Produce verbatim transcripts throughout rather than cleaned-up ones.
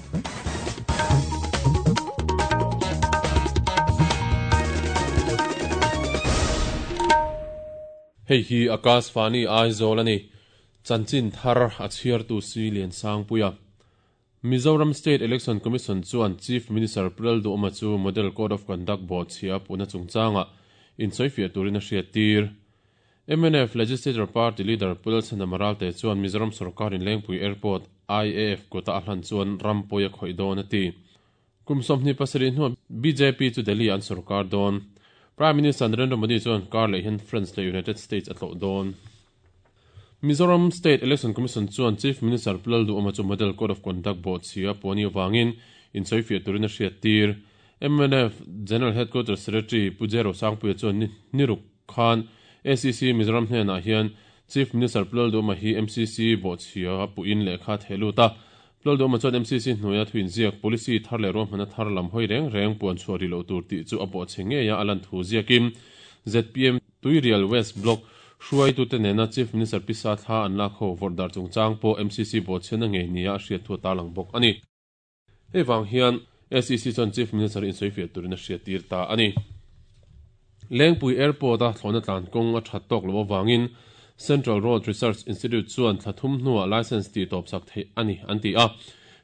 Hei hi Akashvani Aizawl ani chanchin thar a chhiar tu si lian sang puia Mizoram State Election Commission chuan Chief Minister Pulal Duhoma chu Model Code of Conduct bo chhia puna chungchanga in soifia turin a hriat tir M N F Legislature Party Leader Pulal Chanamaral te chuan Mizoram Sarkar in Lengpui Airport I A F kota a hlan chuan rampuia khoi dawn ati kumsawmhni pasarih hnuah B J P chu Delhi an sarkar dawn Prime Minister Narendra Modi chuan kar leh hian France le United States a tlawh dawn Mizoram State Election Commission chuan Chief Minister Pulal Duhoma chu Model Code of Conduct bo chhia puani wangin in soifia turin a hriat tir M N F General Headquarters Secretary Pujero Sangpuia chuan niruk khan A C C Mizoram hnenah hian Chief Minister Pulal Duhoma hi M C C bo chhia puin lehkha theluta Pulal Duhoma chuan M C C hnuaia thuin ziak policy thar leh ruahmana thar lam hoi reng reng puan chhuah ri lo tur tih chu a bo chhe ngeia a lan thu ziakin Z P M Tuirial West Block hruai tu te nena Chief Minister Pisa thla an lak ho vawrdar chungchang pawh M C C bo chhena ngei nia a hriat thu a tarlang bawk ani hei wang hian A C C chuan Chief Minister in soifia turin a hriat tir ta ani Lengpui Airport a thlawna tlan kawng a that tawk lo awangin Central Road Research Institute chuan thlathum hnuah license ti tawp sak thei ani an ti a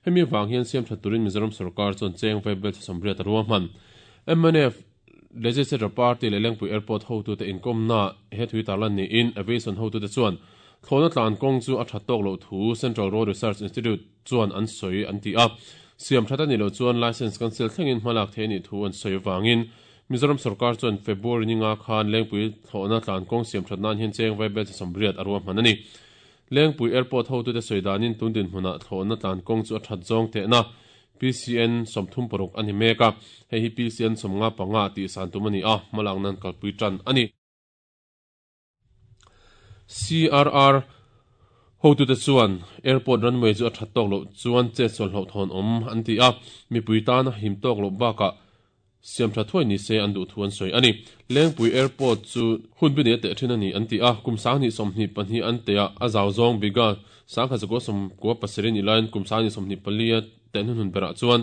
hemi wang hian siam that turin Mizoram Sarkar chuan cheng vaibel chasawmriat a ruahman M N F Legislature Party le Lengpui Airport ho tu te inkom na he thui tarlan ni in aviation ho tu te chuan thlawna tlan kawng chu a that tawk lo thu Central Road Research Institute chuan an soi an ti a siam that ani lo chuan license cancel thlengin hmalak thei ni thu an soi wangin Mizoram Sarkar chuan February ninga khan Lengpui thlawna tlan kawng siam that nan hian cheng vaibel chasawmriat a ruahman ani Lengpui Airport ho tu te soidanin tundin hmuna thlawna tlan kawng chu a that zawng te na P C N sawmthum paruk ani meka hei hi P C N sawmnga panga tih san tum ani a hmalang nan kalpui tan ani C R R ho tu te chuan airport runway chu a that tawk lo chuan che chawl hlo thawn awm an ti a mipui tan him tawk lo baka siam tha thuai ni se an duh thu an sawi ani Lengpui Airport chu hun bi ne te thin ani an ti a kum sang ni sawmhnih pahnih an te a a zau zawng biga sangkha zakua sawmkua pasarih ni laiin kum sang ni sawmhnih pali a ten hun hun berah chuan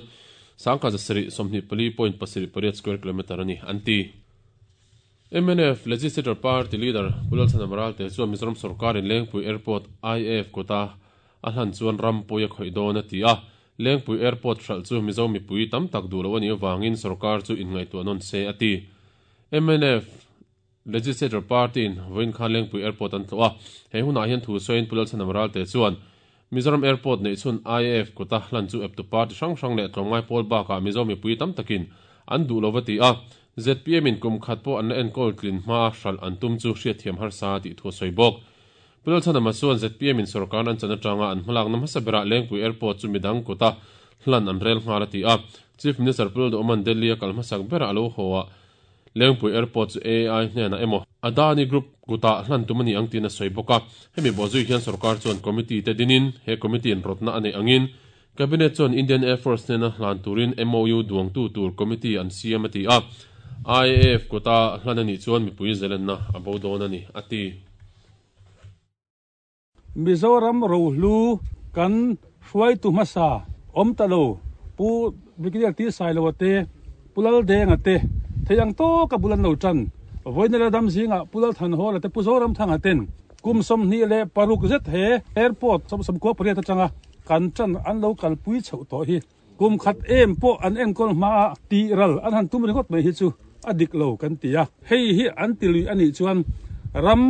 sangkha zasarih sawmhnih pali point pasarih pariat square kilometer ani an ti M N F Legislature Party Leader Pulal Chanamaral te chuan Mizoram Sarkar in Lengpui Airport I A F kota a hlan chuan rampuia khoi dawn a ti a Lengpui Airport hral chu Mizo mipui tam tak duh lo ani awangin sarkar chu inngaihtuah nawn se a ti M N F Legislature Party in vawiin khan Lengpui Airport an tlawh a hei hunah hian thu sawiin Pulal Chanamaral te chuan Mizoram Airport nei chhun I A F kota hlan chu eptu party hrang hrang leh tlawmngai pawl bakah Mizo mipui tam takin an duh lo va ti a Z P M in kum khat pawh an la enkawl tlin hma hral an tum chu hriat thiam harsa tih thu a sawi bawk Pulal Chanama chuan Z P M in sarkar an chan atanga an hmalak na hmasa berah Lengpui Airport chu midang kota hlan an rel nghal a ti a Chief Minister Pulal Duhoma Delhi a kal hmasak berah alo haw a Lengpui Airport chu A I hnenah emaw Adani Group kuta hlan tum ani ang tin a sawi bawk a hemi bawhzui hian sarkar chuan committee te dinin he committee in rawtna anei angin Cabinet chuan Indian Air Force hnena hlan turin M O U duangtu tur committee an siam a ti a I A F kota hlan ani chuan mipui zelenna a bo dawn ani a ti Mizoram rohlu kan hruai tu hmasa awm ta lo pu Brigadier T Sailoa te Pulal Denga te theiang tawka bulan lo tan vawiin la dam zinga Pulal Thanhawla te pu Zoram thanga ten kum sawmhnih leh paruk zet he airport sawm sawmkua pariat atanga kan tan an lo kalpui chhoh tawh hi kum khat em pawh an enkawl hma a ti ral an han tum ringawt mai hi chu a dik lo kan ti a hei hi an ti lui ani chuan ram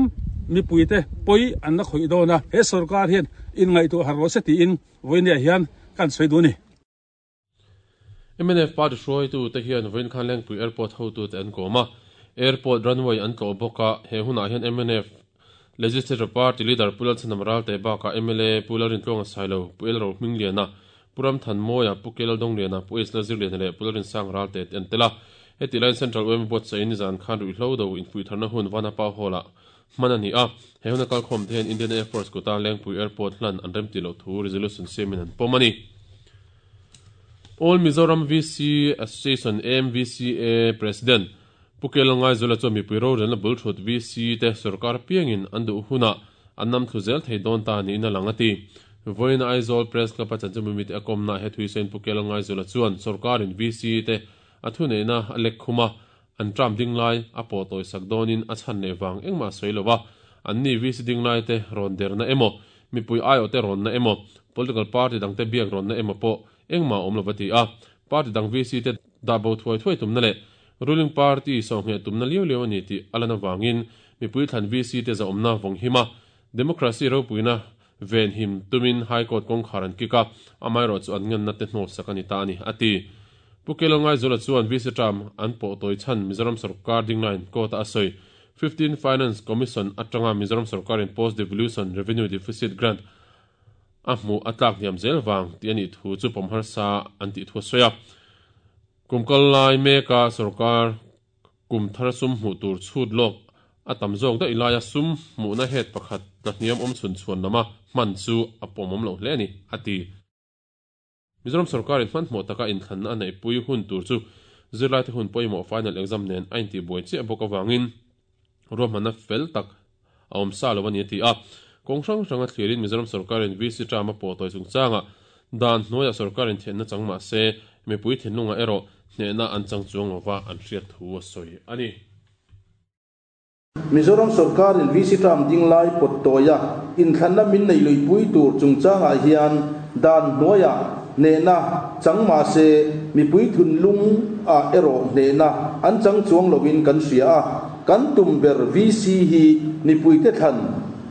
mipui te pawih an la khawih dawn a he sarkar hian inngaihtuah har rawh se tiin vawiin hian kan sawi duh ni M N F Party hruai tu te hian vawiin khan Lengpui Airport ho tu te an kawm a airport runway an tlawh bawk a he hunah hian M N F Legislature Party Leader Pulal Chanamaral te bakah M L A Pulal Rintluanga Sailo Pu El Ro Hmingliana Puram Thanmawia Pu Kelal Dongliana Pu Isla Zirliana leh Pulal Rinsang Ral te an tel a heti laiin Central U M Board sain zan khan ruihhlo do inpui tharna hun Vanapa Hall ah hman ani a he huna kalkhawm te hian Indian Air Force kota Lengpui Airport hlan an rem ti lo thu resolution siamin an pawm ani All Mizoram V C Association A M V C A President Pukel ngai zula chu mipui ro relna bul thut V C te sarkar piangin an duh huna an nam thu zel thei dawn ta ni na lang ati Voin Aizawl Press Club a chanchinbu mite a kawmna he thuisain Pu Kelngaizawla chuan sorkarin V C te a thuneihna a lek khuma an term ding lai a pawh tawi sak dawnin a chhan leh vang engmah sawi lova an ni V C ding lai te rawn derna emaw mipui aiawh te rawn na emaw political party dang te biak rawn na emaw pawh engmah awm lova ti a party dang V C te dahbo thuai thuai tumna leh ruling party sawhngheh tumna liau liau ani tih a lan avangin mipui thlan V C te zawmna vawng hima democracy ropuina ven him tumin high court kawngkhar an kik a amaherawh chu an ngenna te hnawh sak ani ta ani ati Pu Kelngaizawla chuan V C term an pawh tawi chhan Mizoram Sarkar ding line court a sawi fifteen Finance Commission atanga Mizoram Sarkarin post devolution revenue deficit grant a hmu a tlak hniam zel wang ti ani thu chu pawm sa an ti thu sawi a kumkal lai meka sarkar kum thar sum hmu tur chhut lok a tam zawk da ilaya sum hmu na het pakhat na hniam awm chhun chhuan lama hman chu a pawmawm lo hle ani ati Mizoram sarkarin hman hmuh taka inthlanna a neih pui hun tur chu zirlai te hun pawimawh final exam nen a inti buai chiah bawk awangin ruahmanna fel tak a awm sa lo ani a ti a kawng hrang hrang a thlirin Mizoram sarkarin V C term a pawh tawi chungchanga dan hnuaiah sarkarin thianna chang mah se mipui thinlunga erawh hnehna an chang chuang lova an hriat thu a sawi ani. Mizoram sarkarin V C term ding lai pawt tawia inthlanna min nei lui pui tur chungchangah hian dan hnuaiah hnehna chang mah se mipui thunlung a erawh hnehna an chang chuang lovin kan hria a kan tum ber V C hi mipui te thlan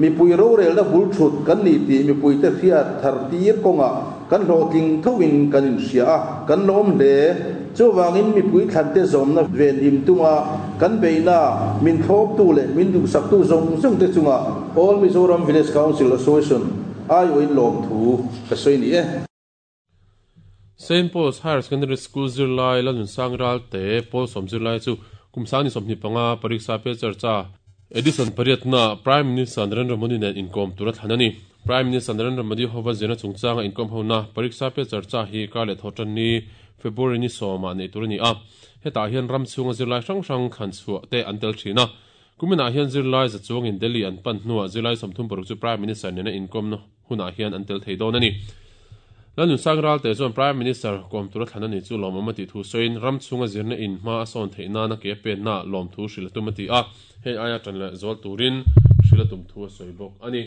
mipui rorelna bul thut kan ni tih mipui te hriat thar tir kawnga kan hlawhtling thovin kan inhria a kan lawm hle chuwangin mipui thlan te zawmna ven him tunga kan beina min thlawp tu leh min duhsak tu zawng zawng te chunga All Mizoram Village Council Association aiawhin lawm thu ka sawi ni e. Saint Paul's Higher Secondary School zirlai Lalnunsang Ralte Paul Som zirlai chu kumsani sawmhnih panga pariksa pe charcha Edison pariatna Prime Minister Narendra Modi nen inkom tura thlan ani. Prime Minister Narendra Modi hova zirna chungchanga inkom hona pariksa pe charcha hi kar leh thawtan ni February ni sawma nei tur ani a hetah hian ram chhunga zirlai hrang hrang thlan chhuah te an tel thin a kumina hian zirlai za chuangin Delhi an pan hnuah zirlai sawmthum paruk chu Prime Minister nena inkom na hunah hian an tel thei dawn ani. Lalnunsang Ralte chuan Prime Minister kom tura thlan ani chu lawmawm a tih thu sawiin ram chhunga zirna in hma a sawn theih nana ke pen na lawm thu hril tum a ti a hei aia tan leh zawl turin hril tum thu a sawi bawk ani.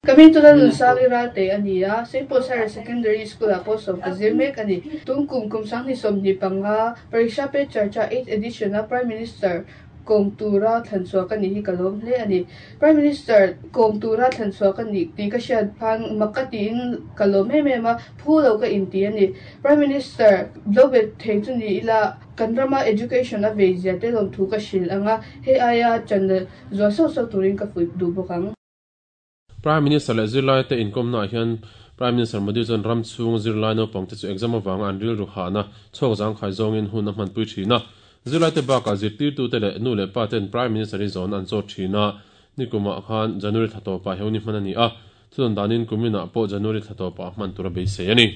Kami tu Lalnunsang Ralte ani a Saint Paul's Higher Secondary School a pawh sawm ka zir mek ani tum kum kum sanghnih sawmhnih panga Pariksha Pe Charcha eighth edition a Prime Minister kom tura thlan chhuah ka ni hi ka lawm hle ani. Prime Minister kom tura thlan chhuah ka ni tih ka hriat phan mak ka tiin ka lawm em em a phu lo ka inti ani. Prime Minister lo bet thei chu ni ila kan rama education a vei zia te lawm thu ka hril anga hei aia channel zual sauh sauh turin ka fuih duh bawk ang. Prime Minister leh zirlai te inkomna hian Prime Minister Modi chuan ram chhung zirlai naupang te chu exam awanga an ril ru hahna chhawk zang khai zawngin hun a hmanpui thin a zirlai te bakah zirtirtu te leh nu leh pa ten Prime Minister hi zawn an zawt thin a nikuma khan January thla tawpah heuni hman ani a chuan danin kumina pawh January thla tawpah hman tura beisei ani.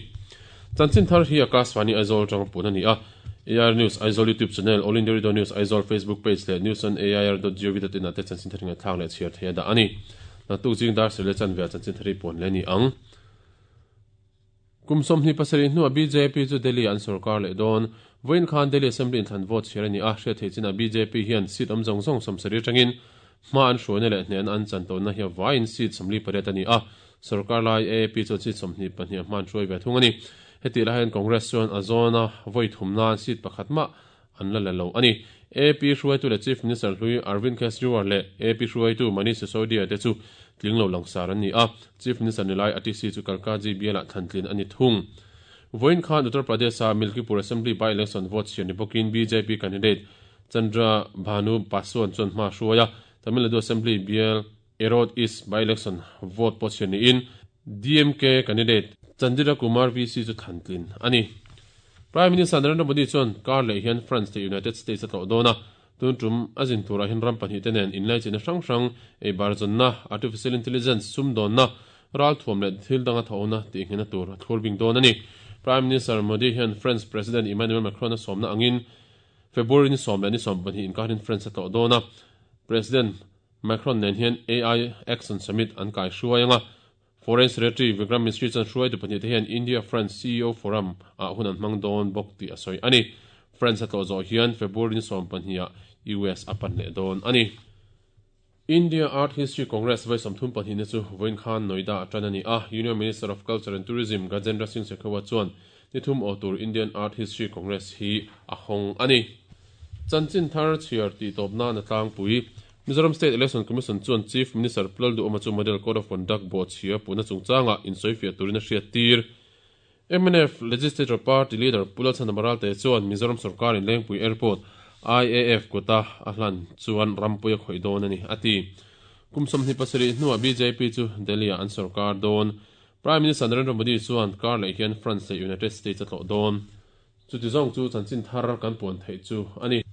Chanchin thar hi Akashvani Aizawl tang pun ani a A I R News Aizawl YouTube channel All India Radio News Aizawl Facebook page leh news on A I R dot gov dot in ate chanchin thar nga thlak leh chhiar thei da ani. Na tuk jing dar sele chan ve chanchin thari pon le ni ang. Kum sawmhnih pasarih hnuah B J P chu Delhi an sarkar leh dawn voin khan Delhi Assembly in thlan vote chhiar ani a hriat thei china B J P hian seat awm zawng zawng sawmsarih atangin hma an hruaina leh hnen an chan tawnna hi vain seat sawmli pariat ani a sarkar lai A A P chuan seat sawmhnih pahnih hma an hruai ve thung ani. Heti lai hian Congress chuan a zawna voi thumna seat pakhat mah an la la lo ani. A P hruaitu leh Chief Minister hlui Arvind Kejriwal leh A P hruaitu Manish Sisodia te chu tling lo langsar an ni a Chief Minister nilai A T C chu Kalkaji biala thlantlin ani thung. Voin khan Uttar Pradesh a Milkipur Assembly by election vote chhiar ni bawkin B J P candidate Chandra Bhanu Paswan chuan hma hruaia Tamil Nadu Assembly bial Erode East by election vote pawh chhiar niin D M K candidate Chandra Kumar V C chu thlantlin ani. Prime Minister Narendra Modi chuan kar leh hian France te United States a tlawh dawn a tun tum a zin turah hian ram pahnih te nen inlai china hrang hrang ei bar zawnna artificial intelligence sum dawnna ral thuam leh thil danga thawhna tih nghena tur a thlur bing dawn ani. Prime Minister Modi hian France President Emmanuel Macron a sawmna angin February ni sawm leh ni sawm pahnih inkarin France a tlawh dawn a President Macron nen hian A I Action Summit an kai hruai anga Foreign Secretary Vikram Misri chuan hruaitu pahnih te hian India France C E O Forum ah hun an hmang dawn bawk tih a sawi ani. France a tlawh zawh hian February ni sawm pahnih ah U S a pan leh dawn ani. India Art History Congress vai sawmthum pahnih na chu vawiin khan Noida atan ani a. Union Minister of Culture and Tourism Gajendra Singh Shekhawat chuan nithum aw tur Indian Art History Congress hi a hawng ani. Chanchin thar chhiar tih tawp nan a tlangpui. Mizoram State Election Commission chuan Chief Minister Pu Lalduhoma chu Model Code of Conduct bawhchhia puhna chungchanga insawifiah turin a hriat tir. M N F Legislature Party Leader Pu Lalchhandama Ralte chuan Mizoram sorkarin Lengpui Airport I A F kuta a hlan chuan rampui a khawih dawn ani a ti. Kum sawmhnih pasarih hnuah B J P chu Delhi ah an sorkar dawn. Prime Minister Narendra Modi chuan kar leh hian France leh United States a tlawh dawn. Chuti zawng chu chanchin thar kan puan theih chu ani.